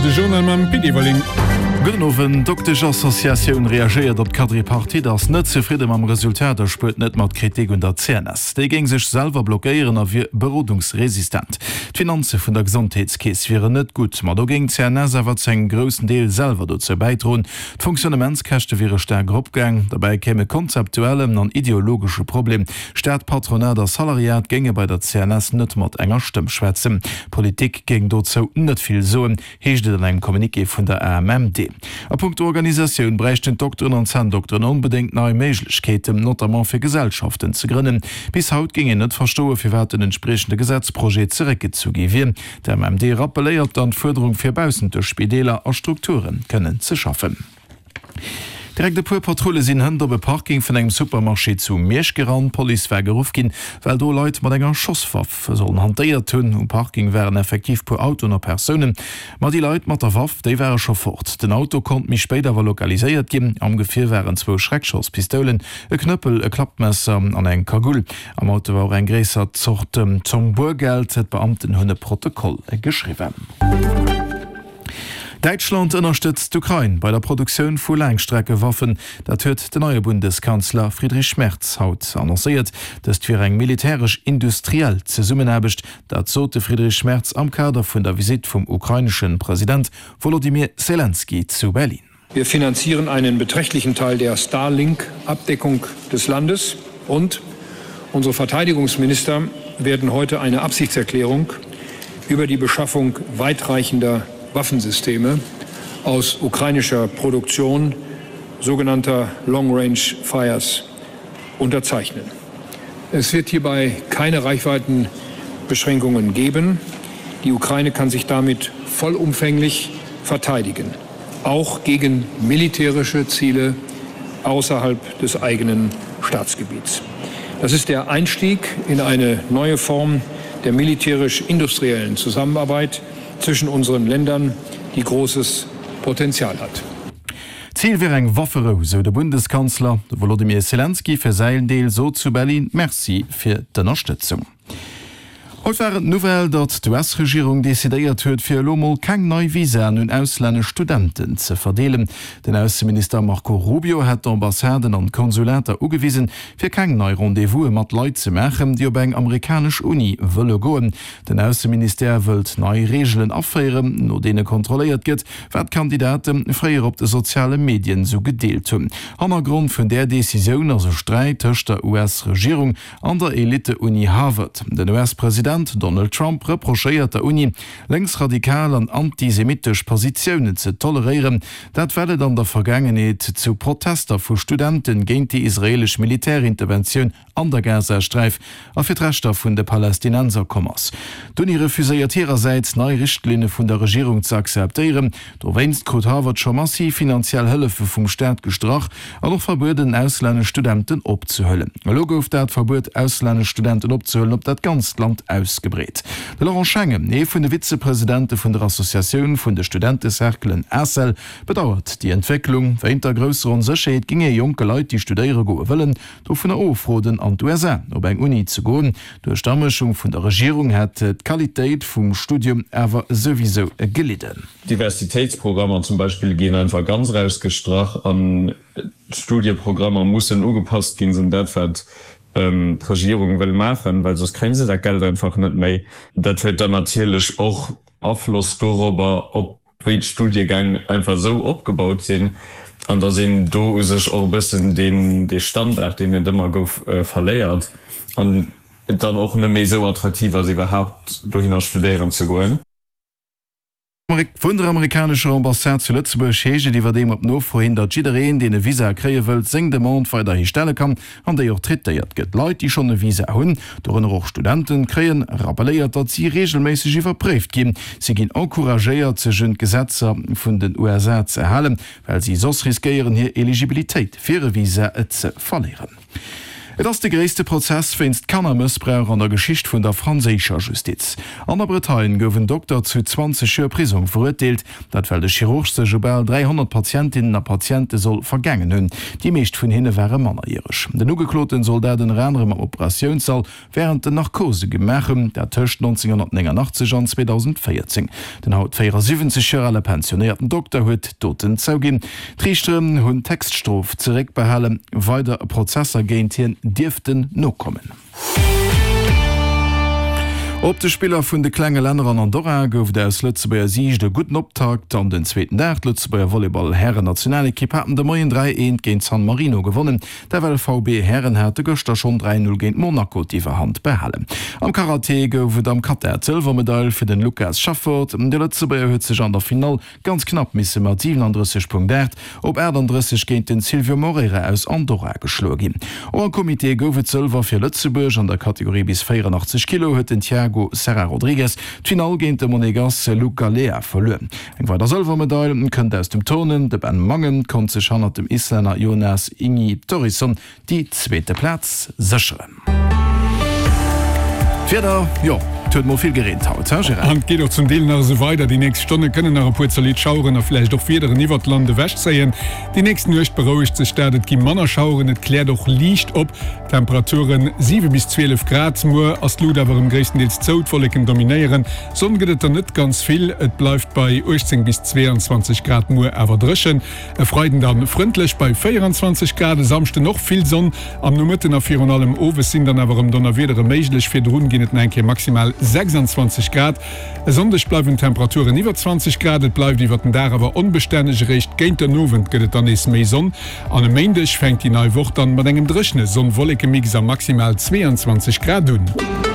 De Journal mam Pit Everling. Gudden Owend. D'Doktesch-Associatioun reagéiert op d'Quadripartite, ass net zefridde mam Resultat a spuert net mat Kritik un der CNS. Déi géing sech selwer blockéieren a wier berodungsresistent. D'Finanze vun der Gesondheetskeess wieren net gutt, ma do géing d'CNS awer zu engem groussen Deel selwer dozou bäidroen. D'Fonctionnementskäschte wiere staark eropgaang. Derbäi kéim e konzeptuellen an ideologesche Problem, Staat, Patronat a Salariat géinge bei der CNS net mat enger Stëmm schwätzen. D'Politik géing dozou net vill soen, heescht et an engem Communiqué vun der AMMD. A punkto Organisatioun bräichten d'Dokteren an d'Zänndokteren onbedéngt nei Méiglechkeeten, notamment fir Gesellschaften ze grënnen. Bis haut géing een net verstoen, firwat den entspriechende Gesetzprojet zeréckgezu gi wier. D'AMMD rappeléiert dann d'Fuerderung fir baussent de Spideeler a Strukture kënnen ze schaffen. Direkt e puer Patrulle sinn hënt op e Parking vun engem Supermarché zu Miersch gerannt. D'Police war geruff ginn, well do Leit mat enger Schosswaff sollen hantéiert hunn. Um Parking waren effektiv puer Autoen a Persounen, ma déi Leit mat der Waff, déi ware scho fort. Den Auto konnt méi spéit awer lokaliséiert ginn. Am Gefier waren zwou Schreckschosspistoulen, e Knëppel, e Klappmesser an eng Kagull. Am Auto war och eng gréisser Zort Zomm Boergeld. D'Beamten hunn e Protokoll geschriwwen. Däitschland ënnerstëtzt d'Ukrain bei der Produktioun vu Laangstreckewaffen. Dat huet den neie Bundeskanzler Friedrich Merz haut annoncéiert. Dëst wier eng militäresch-industriell Zesummenaarbecht. Dat sot de Friedrich Merz am Kader vun der Visitt vum ukrainesche President Wolodymyr Selenskyj zu Berlin. Wir finanzieren einen beträchtlichen Teil der Starlink-Abdeckung des Landes und unsere Verteidigungsminister werden heute eine Absichtserklärung über die Beschaffung weitreichender Waffensysteme aus ukrainischer Produktion sogenannter Long Range Fires unterzeichnen. Es wird hierbei keine Reichweitenbeschränkungen geben. Die Ukraine kann sich damit vollumfänglich verteidigen, auch gegen militärische Ziele außerhalb des eigenen Staatsgebiets. Das ist der Einstieg in eine neue Form der militärisch-industriellen Zusammenarbeit zwischen unseren Ländern, die großes Potenzial hat. Zil wier eng Wafferou, sou de Bundeskanzler. De Wolodymyr Selenskyj fir säin Deel sot zu Berlin Merci fir d'Ënnerstëtzung. Haut war et d'Nouvelle, datt d'US-Regierung decidéiert huet, fir elo mol keng nei Visaen un auslännesch Studenten ze verdeelen. Den Ausseminister Marco Rubio hätt d'Ambassaden an d'Konsulater ugewisen, fir keng nei Rendez-vouse mat Leit ze maachen, déi op eng amerikanesch Uni wëlle goen. Den Ausseministère wëllt nei Reegelen aféieren, no deene kontrolléiert gëtt, wat d'Kandidate fréier op de soziale Medien esou gedeelt hunn. Hannergrond vun där Decisioun ass e Sträit tëscht der US-Regierung An der Elite-Uni Harvard. Den US-President Donald Trump reprochéiert der Uni, lénksradikal an antisemittesch Positiounen ze toleréieren. Dat well et an der Vergaangenheet zu Protester vu Studente géint déi israeelesch Militärinterventioun an der Gazasträif a fir d'Rechter vun de Palästinenser komm ass. D'Uni refuséiert hirersäits, nei Richtlinne vun der Regierung ze akzeptéieren. Dowéinst krut Harvard scho massiv finanziell Hëllefe vum Staat gestrach an och verbueden, auslännesch Studenten opzehuelen. Elo gouf dat Verbuet, auslännesch Studenten opzehuelen, op dat ganzt Land ausgebreet. De Laurent Schengen, ee vun de Vizepresidente vun der Associatioun vun de Studentecerclen ACEL, bedauert déi Entwécklung. Wéint der grousser Onsécherheet géing ee jonke Leit, déi studéiere goe wëllen, dovunner ofroden, an d'USA op eng Uni ze goen. Duerch d'Amëschung vun der Regierung hätt d'Qualitéit vum Studium awer souwisou gelidden. Diversitéitsprogrammer zum Beispill ginn einfach ganz erausgestrach an d'Studieprogrammer mussen ugepasst ginn un dat, wat d'Regierung wëll maachen, well soss kréie se dat Geld einfach net méi. Dat huet dann natierlech och Afloss dorobber, ob wéi d'Studiegäng einfach esou opgebaut sinn an datt een do u sech och e bëssen deen dee Standard, deen et ëmmer gouf, verléiert an et dann och net méi esou attraktiv ass, iwwerhaapt dohinner studéieren ze goen. Vun der amerikanescher Ambassade zu Lëtzebuerg heescht et iwwerdeem op Nofro hin, datt jiddereen, deen e Visa kréie wëllt, seng Demande weiderhi stelle kann an déi och traitéiert gëtt. Leit, déi schonn e Visa hunn, dorënner och Studenten, kréien rappelléiert, datt si reegelméisseg iwwerpréift ginn. Si ginn encouragéiert, sech un d'Gesetzer vun den USA ze halen, well si soss riskéieren, hir Eligibilitéit fir e Visa ze verléieren. Et ass de gréisste Prozess wéinst Kannermëssbrauch an der Geschicht vun der franséischer Justiz. An der Bretagne gouf en Dokter zu 20 Joer Prisong verurteelt, dat well de Chirurg sech u bal 300 Patientinnen a Patiente soll vergaangen hunn. Déi meescht vun hinne ware mannerjäreg. Den Ugekloten soll dat ënner anerem am Operatiounssall wärend den Narkose gemaach hunn, dat tëscht 1989 an 2014. Den haut 74 Joer ale pensionéierten Dokter huet d'Doten zouginn. D'Riichteren hunn d'Héchststrof zeréckbehalen, weider Prozesser géint hien dierften nokommen. Op de Spiller vun de klenge Länner an Andorra gouf et aus Lëtzebuerger Siicht e gudden Optakt an den zweeten Dag. D'Lëtzebuerger Volleyball-Hären-Nationalekipp haten de Moien 3, 1 géint San Marino gewonnen. D'FLVB Hären hate gëschter schonn 3, 0 géint Monaco d'Iwwerhand behalen. Am Karaté gouf et am Kata d'Sëlwermedail fir den Lucas Schaffort. De Lëtzebuerger huet sech an der Finall ganz knapp misse mat 37,8 op 38 géint den Silvio Moreira aus Andorra geschloe ginn. Och am Comité gouf et Sëlwer fir Lëtzebuerg. An der Kategorie bis 84 Kilo huet den Tiago Serra Rodrigues d'Finall géint de Monegass Luc Galea verluer. Eng weider Sëlwermedail kënnt aus dem Turnen, De Ben Mangen konnt sech hannert dem Islänner Jonas Ingi Thorisson déi zweete Plaz sécheren. D'Wieder, jo, et huet mol vill gereent haut, he Gérard? An et geet och zum Deel nach esou weider. Déi nächst Stonne kënnen nach e puer zolidd Schaueren a villäicht och Wiederen iwwert d'Land ewechzéien. Déi nächst Nuecht berouegt sech dat, et gi manner Schaueren, et kläert och liicht op. Temperaturen 7 bis 12 Grad. Muer ass d'Lut awer erëm gréisstendeels zou, d'Wolleken dominéieren. Sonn gëtt et der net ganz vill, et bleift bei 18 bis 22 Grad, muer awer dréchen. E Freiden dann frëndlech bei 24 Grad, e Samschden och vill Sonn am Nomëtten a virun allem owes sinn dann awer erëm Donnerwiedere méiglech. Virdrun ginn et nach eng Kéier maximal 26 Grad. E Sonndeg bleiwen d'Temperaturen iwwer 20 Grad, et bleift iwwer den Dag awer onbestänneg, eréischt géint den Owend gëtt et dann nees méi Sonn an e Méindeg fänkt déi nei Woch dann mat engem dréchene Sonn-Wolleke-Mix a maximal 22 Grad un.